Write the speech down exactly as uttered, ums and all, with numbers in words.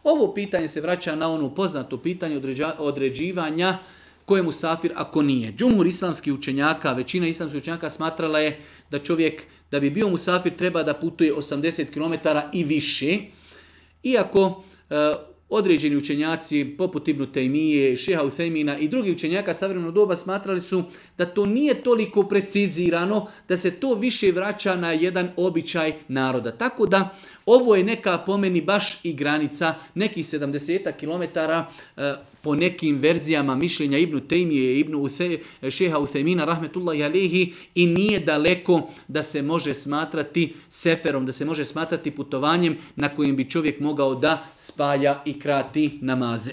Ovo pitanje se vraća na ono poznato pitanje određivanja ko je musafir ako nije. Džumhur islamskih učenjaka, većina islamskih učenjaka smatrala je da čovjek da bi bio musafir treba da putuje osamdeset kilometara i više. Iako e, određeni učenjaci poput Ibn Taymije, Šeha Uthejmina i drugi učenjaka savremenog doba smatrali su da to nije toliko precizirano, da se to više vraća na jedan običaj naroda. Tako da ovo je neka po meni baš i granica, nekih sedamdeset kilometara e, po nekim verzijama mišljenja Ibn Taymije, Ibn Uthe, Šeha Uthejmina, rahmetullahi alehi, i nije daleko da se može smatrati seferom, da se može smatrati putovanjem na kojem bi čovjek mogao da spaja i krati namaze.